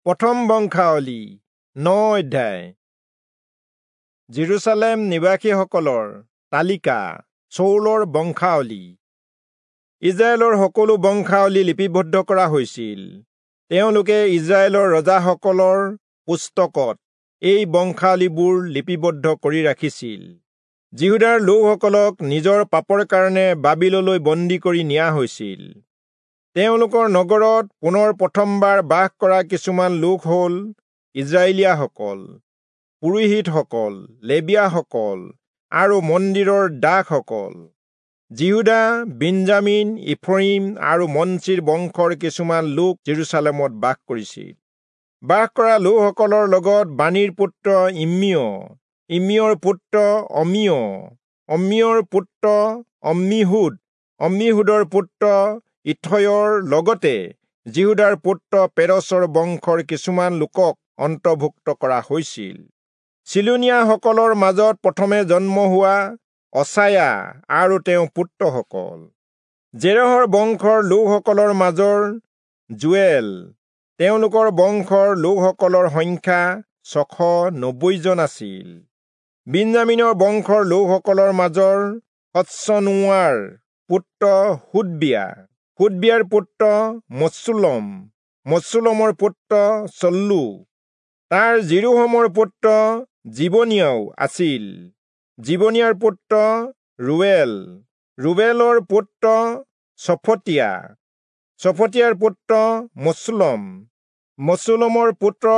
প্ৰথম বংশাৱলী 9 অধ্যায়। যিৰূচালেম নিবাসীসকলৰ তালিকা চৌলৰ বংশাৱলী। ইজৰাইলৰ সকলো বংশাৱলী লিপিবদ্ধ কৰা হৈছিল। তেওঁলোকে ইজৰাইলৰ ৰজাসকলৰ পুস্তকত এই বংশাৱলীবোৰ লিপিবদ্ধ কৰি ৰাখিছিল। যিহূদাৰ লোকসকলক নিজৰ পাপৰ কাৰণে বাবিললৈ বন্দী কৰি নিয়া হৈছিল। তেওঁলোকৰ নগৰত পুনৰ প্ৰথমবাৰ বাস কৰা কিছুমান লোক হ'ল ইজৰাইলীয়াসকল, পুৰোহিতসকল, লেবীয়াসকল আৰু মন্দিৰৰ দাসসকল। যিহূদা, বিন্যামীন, ইফ্ৰয়িম আৰু মনচিৰ বংশৰ কিছুমান লোক যিৰূচালেমত বাস কৰিছিল। বাস কৰা লোকসকলৰ লগত বানীৰ পুত্ৰ ইম্মিয়, ইম্মিয়ৰ পুত্ৰ অম্মিয়, অম্মিয়ৰ পুত্ৰ অম্মীহূদ, অম্মীহূদৰ পুত্ৰ ইথয়ৰ লগতে যিহূদাৰ পুত্ৰ পেৰচৰ বংশৰ কিছুমান লোকক অন্তৰ্ভুক্ত কৰা হৈছিল। চিলোনীয়াসকলৰ মাজত প্ৰথমে জন্ম হোৱা অচায়া আৰু তেওঁৰ পুত্ৰসকল। জেৰহৰ বংশৰ লোকসকলৰ মাজৰ যোৱেল, তেওঁলোকৰ বংশৰ লোকসকলৰ সংখ্যা 690 জন আছিল। বিন্যামীনৰ বংশৰ লোকসকলৰ মাজৰ হচ্চনোৱাৰ পুত্ৰ হোদবিয়া, হোদবিয়াৰ পুত্ৰ মচুলম, মচুলমৰ পুত্ৰ চল্লু, তাৰ যিৰোহমৰ পুত্ৰ জিবনিয়াও আছিল। জিবনিয়াৰ পুত্ৰ ৰুৱেল, ৰুৱেলৰ পুত্ৰ চফটীয়া, চফটীয়াৰ পুত্ৰ মচুলম, মচুলমৰ পুত্ৰ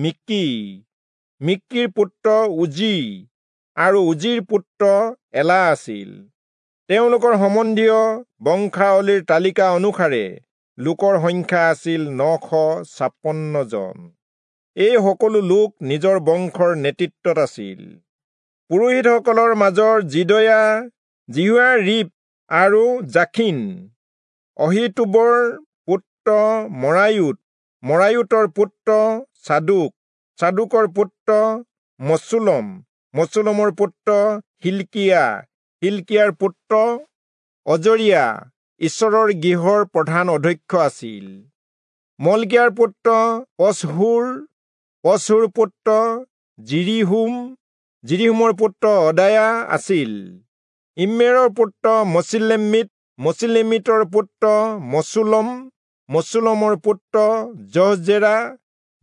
মিক্কি, মিক্কিৰ পুত্ৰ উজি আৰু উজিৰ পুত্ৰ এলা আছিল। তেওঁলোকৰ সম্বন্ধীয় বংশাৱলীৰ তালিকা অনুসাৰে লোকৰ সংখ্যা আছিল 956 জন। এই সকলো লোক নিজৰ বংশৰ নেতৃত্বত আছিল। পুৰোহিতসকলৰ মাজৰ যিদয়া, যিহোয়াৰীব আৰু যাখিন, অহীতূবৰ পুত্ৰ মৰায়োত, মৰায়োতৰ পুত্ৰ চাদোক, চাদোকৰ পুত্ৰ মচুলম, মচুলমৰ পুত্ৰ হিল্কিয়া, হিল্কিয়াৰ পুত্ৰ অজৰিয়া ঈশ্বৰৰ গৃহৰ প্ৰধান অধ্যক্ষ আছিল। মল্কিয়াৰ পুত্ৰ পচহূৰ, পচহূৰ পুত্ৰ যিৰিহোম, যিৰিহোমৰ পুত্ৰ অদায়া আছিল। ইম্মেৰৰ পুত্ৰ মচিলেমিত, মচিলেমিতৰ পুত্ৰ মচুলম, মচুলমৰ পুত্ৰ জহজেৰা,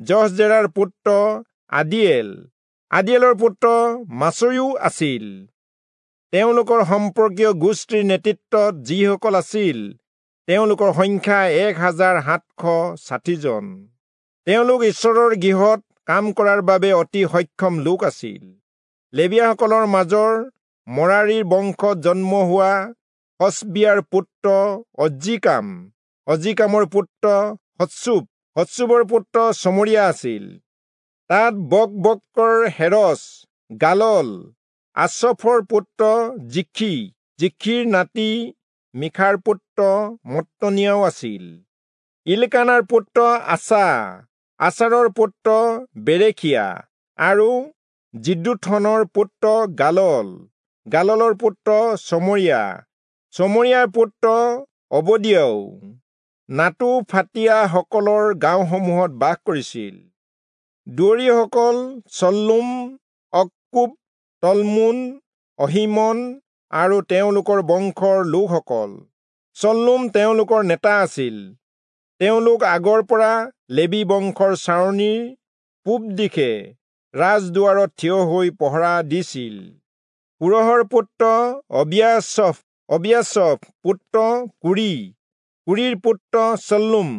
জহজেৰাৰ পুত্ৰ আদিয়েল, আদিয়েলৰ পুত্ৰ মাচয়ো আছিল। তেওঁলোকৰ সম্পৰ্কীয় গোষ্ঠীৰ নেতৃত্বত যিসকল আছিল তেওঁলোকৰ সংখ্যা 1760 জন। তেওঁলোক ঈশ্বৰৰ গৃহত কাম কৰাৰ বাবে অতি সক্ষম লোক আছিল। লেবীয়াসকলৰ মাজৰ মৰাৰীৰ বংশত জন্ম হোৱা হচবিয়াৰ পুত্ৰ অজ্জিকাম, অজ্জিকামৰ পুত্ৰ হচ্চূব, হচ্চূবৰ পুত্ৰ চমৰীয়া আছিল। তাত বকবক্কৰ হেৰচ, গালল, আচফৰ পুত্ৰ জিখি, জিখিৰ নাতি মিখাৰ পুত্ৰ মত্তনিয়াও আছিল। ইলকানাৰ পুত্ৰ আছা, আচাৰৰ পুত্ৰ বেৰেখিয়া আৰু যিদ্দুথনৰ পুত্ৰ গালল, গাললৰ পুত্ৰ চমৰীয়া, চমৰীয়াৰ পুত্ৰ অবদিয়াও নাটোফাতীয়াসকলৰ গাঁওসমূহত বাস কৰিছিল। দুৱৰীসকল চল্লুম, অক্কুব, তলমোন, অহীমন আৰু তেওঁলোকৰ বংশৰ লোকসকল। চল্লুম তেওঁলোকৰ নেতা আছিল। তেওঁলোক আগৰ পৰা লেবী বংশৰ ছাউনিৰ পূব দিশে ৰাজদুৱাৰত থিয় হৈ পহৰা দিছিল। কোৰহৰ পুত্ৰ অবিয়াচফ, অবিয়াচফ পুত্ৰ কুৰি, কুৰিৰ পুত্ৰ চল্লুম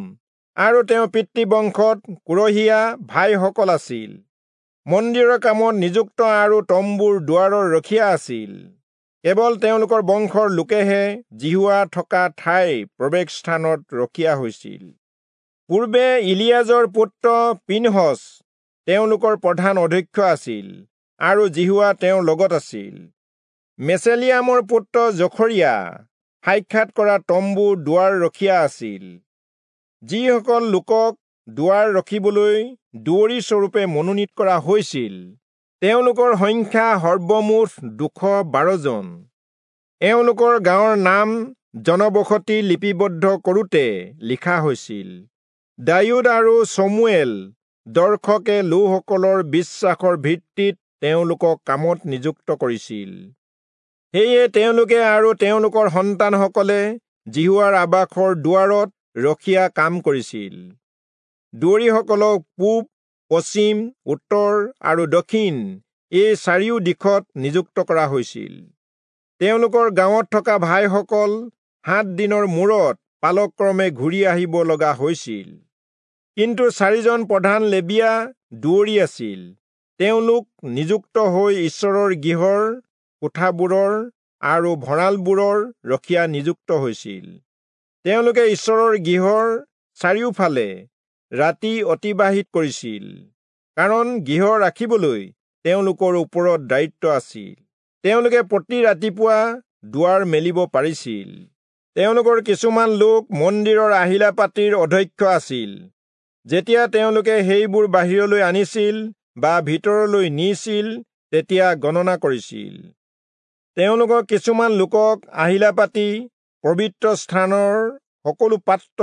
আৰু তেওঁৰ পিতৃবংশত কোৰহীয়া ভাইসকল আছিল। মন্দিৰৰ কামত নিযুক্ত আৰু তম্বুৰ দুৱাৰৰ ৰখীয়া আছিল। কেৱল তেওঁলোকৰ বংশৰ লোকেহে যিহোৱা থকা ঠাইৰ প্ৰৱেশস্থানত ৰখীয়া হৈছিল। পূৰ্বে ইলিয়াজৰ পুত্ৰ পিনহচ তেওঁলোকৰ প্ৰধান অধ্যক্ষ আছিল আৰু যিহোৱা তেওঁৰ লগত আছিল। মেচেলিয়ামৰ পুত্ৰ জখৰিয়া সাক্ষাৎ কৰা তম্বুৰ দুৱাৰ ৰখীয়া আছিল। যিসকল লোকক দুৱাৰ ৰখিবলৈ দুৱৰী স্বৰূপে মনোনীত কৰা হৈছিল তেওঁলোকৰ সংখ্যা সৰ্বমুঠ 212 জন। এওঁলোকৰ গাঁৱৰ নাম জনবসতি লিপিবদ্ধ কৰোঁতে লিখা হৈছিল। দায়ূদ আৰু চমুৱেল দৰ্শকে লোকসকলৰ বিশ্বাসৰ ভিত্তিত তেওঁলোকক কামত নিযুক্ত কৰিছিল। সেয়ে তেওঁলোকে আৰু তেওঁলোকৰ সন্তানসকলে যিহোৱাৰ আবাসৰ দুৱাৰত ৰখীয়া কাম কৰিছিল। দুৱৰীসকলক পূব, পশ্চিম, উত্তৰ আৰু দক্ষিণ এই চাৰিও দিশত নিযুক্ত কৰা হৈছিল। তেওঁলোকৰ গাঁৱত থকা ভাইসকল 7 দিনৰ মূৰত পালক্ৰমে ঘূৰি আহিব লগা হৈছিল। কিন্তু 4জন প্ৰধান লেবীয়া দুৱৰী আছিল। তেওঁলোক নিযুক্ত হৈ ঈশ্বৰৰ গৃহৰ কোঠাবোৰৰ আৰু ভঁৰালবোৰৰ ৰখীয়া নিযুক্ত হৈছিল। তেওঁলোকে ঈশ্বৰৰ গৃহৰ চাৰিওফালে ৰাতি অতিবাহিত কৰিছিল, কাৰণ গৃহ ৰাখিবলৈ তেওঁলোকৰ ওপৰত দায়িত্ব আছিল। তেওঁলোকে প্ৰতি ৰাতিপুৱা দুৱাৰ মেলিব পাৰিছিল। তেওঁলোকৰ কিছুমান লোক মন্দিৰৰ আহিলা পাতিৰ অধ্যক্ষ আছিল। যেতিয়া তেওঁলোকে সেইবোৰ বাহিৰলৈ আনিছিল বা ভিতৰলৈ নিছিল, তেতিয়া গণনা কৰিছিল। তেওঁলোকৰ কিছুমান লোকক আহিলা পাতি, পবিত্ৰ স্থানৰ সকলো পাত্ৰ,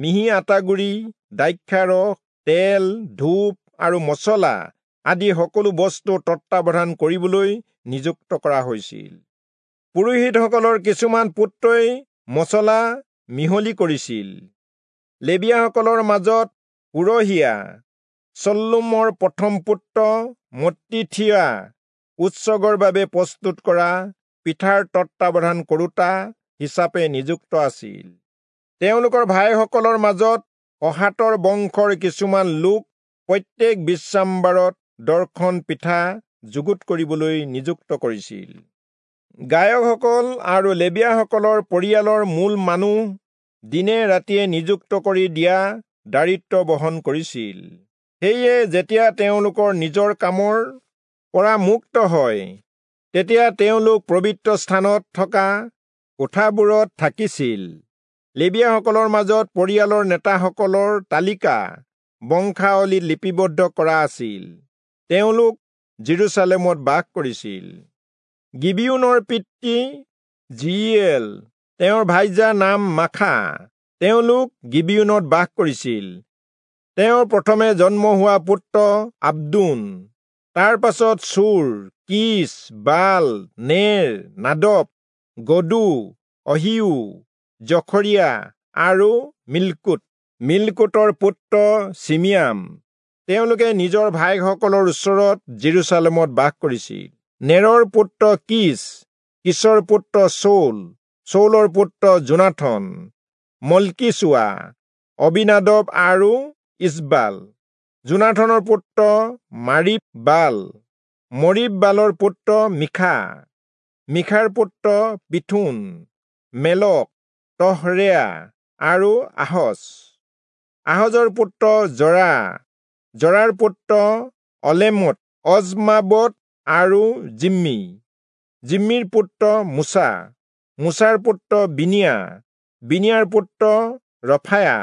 মিহি আটাগুড়ি, দ্ৰাক্ষাৰস, তেল, ধূপ আৰু মচলা আদি সকলো বস্তু তত্বাৱধান কৰিবলৈ নিযুক্ত কৰা হৈছিল। পুৰোহিতসকলৰ কিছুমান পুত্ৰই মচলা মিহলি কৰিছিল। লেবীয়াসকলৰ মাজত পুৰহীয়া চল্লুমৰ প্ৰথম পুত্ৰ মত্তিথিয়া উৎসৰ্গৰ বাবে প্ৰস্তুত কৰা পিঠাৰ তত্বাৱধান কৰোতা হিচাপে নিযুক্ত আছিল। তেওঁলোকৰ ভাইসকলৰ মাজত কহাতৰ বংশৰ কিছুমান লোক প্ৰত্যেক বিশ্ৰামবাৰত দৰ্শন পিঠা যুগুত কৰিবলৈ নিযুক্ত কৰিছিল। গায়কসকল আৰু লেবীয়াসকলৰ পৰিয়ালৰ মূল মানুহ দিনে ৰাতিয়ে নিযুক্ত কৰি দিয়া দায়িত্ব বহন কৰিছিল। সেয়ে যেতিয়া তেওঁলোকৰ নিজৰ কামৰ পৰা মুক্ত হয়, তেতিয়া তেওঁলোক পবিত্ৰ স্থানত থকা কোঠাবোৰত থাকিছিল। লেবীয়াসকলৰ মাজত পৰিয়ালৰ নেতাসকলৰ তালিকা বংশাৱলীত লিপিবদ্ধ কৰা আছিল। তেওঁলোক জেৰুচালেমত বাস কৰিছিল। গিবিয়োনৰ পিতৃ যিয়েল, তেওঁৰ ভাইজাৰ নাম মাখা। তেওঁলোক গিবিয়োনত বাস কৰিছিল। তেওঁৰ প্ৰথমে জন্ম হোৱা পুত্ৰ আব্দোন, তাৰ পাছত চূৰ, কিচ, বাল, নেৰ, নাদব, গদু, অহিউ, জখৰিয়া আৰু মিল্কুত। মিল্কুতৰ পুত্ৰ চিমিয়াম। তেওঁলোকে নিজৰ ভাইসকলৰ ওচৰত জেৰুচালেমত বাস কৰিছিল। নেৰৰ পুত্ৰ কিচ, কিচৰ পুত্ৰ চৌল, চৌলৰ পুত্ৰ যোনাথন, মল্কিচুৱা, অবিনাদব আৰু ইচবাল। যোনাথনৰ পুত্ৰ মাৰিব বাল, মৰিব বালৰ পুত্ৰ মিখা, মিখাৰ পুত্ৰ পিথুন, মেলক, তহৰেয়া আৰু আহজ। আহজৰ পুত্ৰ জৰা, জৰাৰ পুত্ৰ অলেমত, অজমাবত আৰু জিম্মি। জিম্মিৰ পুত্ৰ মুছা, মুছাৰ পুত্ৰ বিনিয়া, বিনিয়াৰ পুত্ৰ ৰফায়া,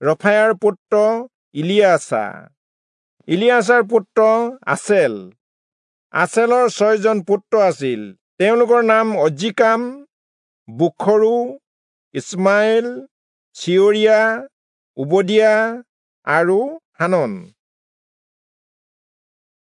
ৰফায়াৰ পুত্ৰ ইলিয়াছা, ইলিয়াছাৰ পুত্ৰ আছেল। আছেলৰ 6জন পুত্ৰ আছিল। তেওঁলোকৰ নাম অজ্জিকাম, বুখৰু, ইছমাইল, চিয়ৰিয়া, উবদিয়া আৰু হানন।